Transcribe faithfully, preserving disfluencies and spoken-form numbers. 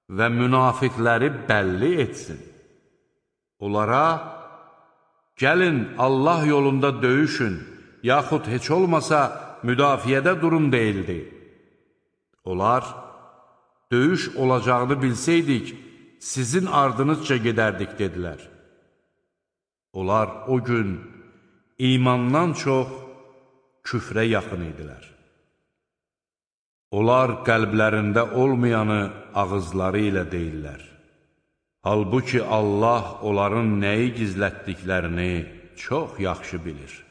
və münafiqləri bəlli etsin. Onlara, gəlin Allah yolunda döyüşün, yaxud heç olmasa müdafiədə durun deyildi. Onlar, döyüş olacağını bilsəydik, sizin ardınızca gedərdik, dedilər. Onlar o gün imandan çox küfrə yaxın idilər. Onlar qəlblərində olmayanı ağızları ilə deyirlər. Halbuki Allah onların nəyi gizlətdiklərini çox yaxşı bilir.